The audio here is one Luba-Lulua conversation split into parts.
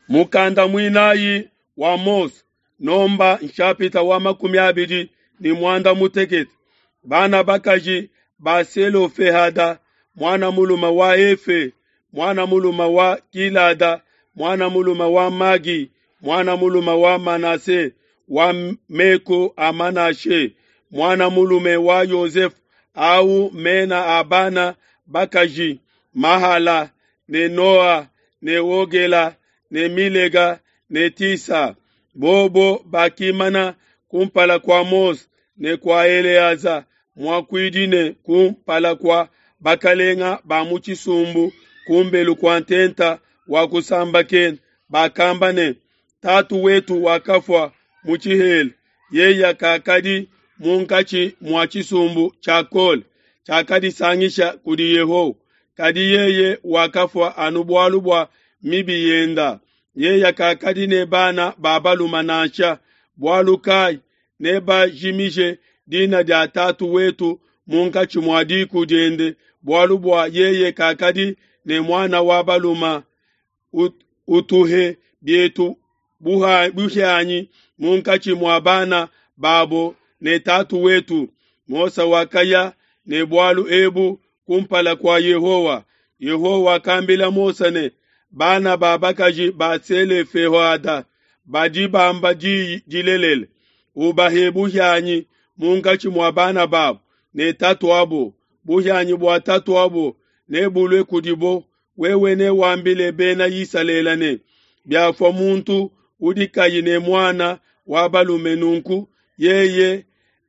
Mukanda muinayi wa Mose, nomba nshapita wa 26. Bana bakaji ba Selofehada, muana mulume wa Hefe, muana mulume wa Gilada, muana mulume wa Magi, muana mulume wa Manase, wa meku a Manashe, muana mulume wa Yosefe, au mena a bana bakaji Mahala ne Noa ne Ogela ne Milega ne Tisa. Bobo bakimana kumpala kua Mose ne kua Eleaza muakuidi ne kumpala kua bakalenga ba mu tshisumbu kumbelu kua ntenta wa kusambakena, bakamba ne: Tatu wetu wakafua mu tshihela, yeye kakadi munkatshi mua tshisumbu tshia Kole tshiakadisangisha kudi Yehowa, kadi yeye wakafua anu bualu bua mibi yenda. Yeye kakadi ne bana ba balume nansha, bualu kai nebajimije dina dia tatu wetu munkatshi mua diku diende, bualu bua yeye kakadi ne muana wa balume. Utuhe bietu buhianyi munkatshi mua bana babo ne tatu wetu. Mose wakaya ne bualu ebu kumpala kua Yehowa. Yehowa wakambila Mose ne, bana ba bakaji ba Selofehada badi bamba diyi dilelela, ubahe buhianyi munkatshi mua bana babo ne tatuabo. Buhianyi bua tatuabo nebulue kudibo. Wewe newambile bena Isalele ne, biafua muntu udi kayi ne muana wa balume, nunku yeye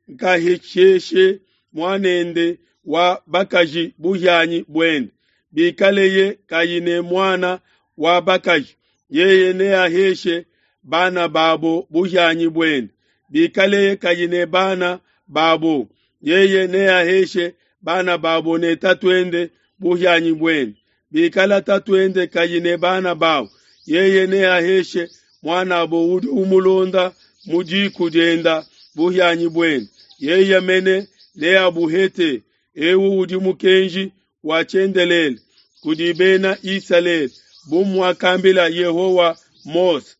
nkahesheshe muanende wa bakaji buhianyi buende. Bikaleye kayi ne muana wa bakaji, yeye neaheshe bana babo buhianyi buende. Bikaleye kayi ne bana babo, yeye neaheshe bana babo ne tatuende buhianyi buende. Bikala tatuende kayi ne bana babo, yeye neaheshe muanabo udi umulonda mu diku dienda buhianyi buende. Yeye mene neabuhete. Ewu udi mukenji wa tshiendelele kudi bena Isalele, bu muakambila Yehowa Mose.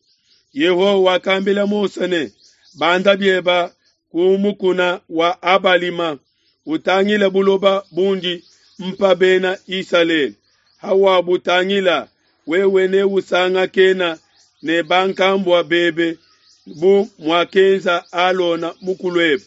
Yehowa wakambila Mose ne, banda bieba ku mukuna wa Abalima, utangile buloba bundi mpa bena Isalele. Hawabutangila, wewe neusangakena ne bankambua bebe bu muakenza Alona mukuluebe,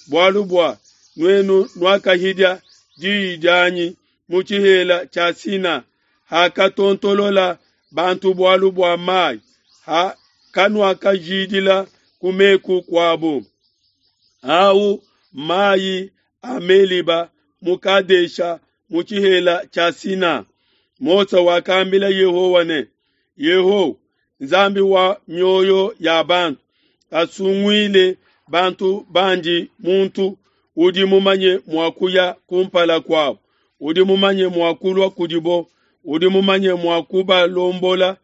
bualu bua nuenu nuakahidia diyi dianyi mu tshihela tshia Sina, hakatontolola bantu bualu bua mai, ha kanuakajidila ku meku kuabo. Au mai a Meliba mu Kadesha mu tshihela tshia Sina. Mose wakambila Yehowa ne, Yehowa, Nzambi wa mioyo ya bantu, asunguile bantu bandi muntu udi mumanye mua kuya kumpala kuabo, udi mumanye mua kulua kudibo, udi mumanye mua kubalombola,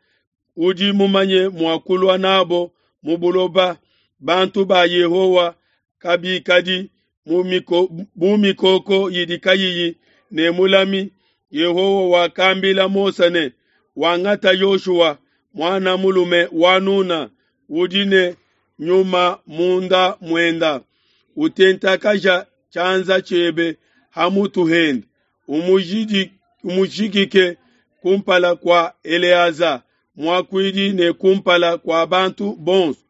udi mumanye mua kulua nabo mu buloba. Bantu ba Yehowa kabikadi bu mikoko idi kayiyi ne mulami. Yehowa wakambila Mose ne, wangata Yoshua muana mulume wa Nuna, udi ne nyuma munda muenda, utentakaja tshianza tshiebe ha mutu hende, umujikike kumpala kua Eleaza muakuidi ne kumpala kua bantu bonso,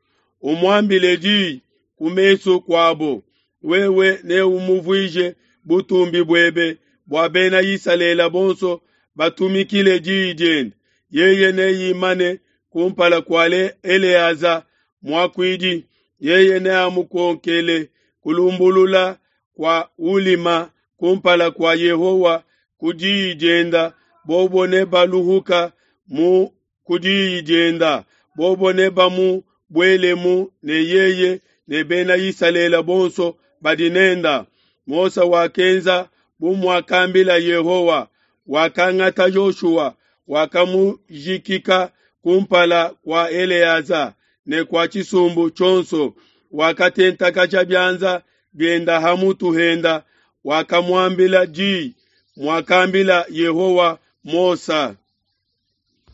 umuambile diyi ku mesu kuabo. Wewe neumuvuije butumbi buebe bua bena Isalele bonso batumikile diyi diende. Yeye neimane kumpala kua Eleaza muakuidi, yeye neamukonkele kulumbulula kua ulima kumpala kua Yehowa ku diyi dienda. Bobo nebaluhuka mu ku diyi dienda, bobo nebamubuelemu ne yeye ne bena Isalele bonso badi nenda. Mose wakenza bu muakambila Yehowa, wakangata Yoshua, wakamujikika kumpala kua Eleaza ne kua tshisumbu tshionso, wakatentakaja bianza bienda ha mutu henda, wakamuambila diyi muakambila Yehowa Mose.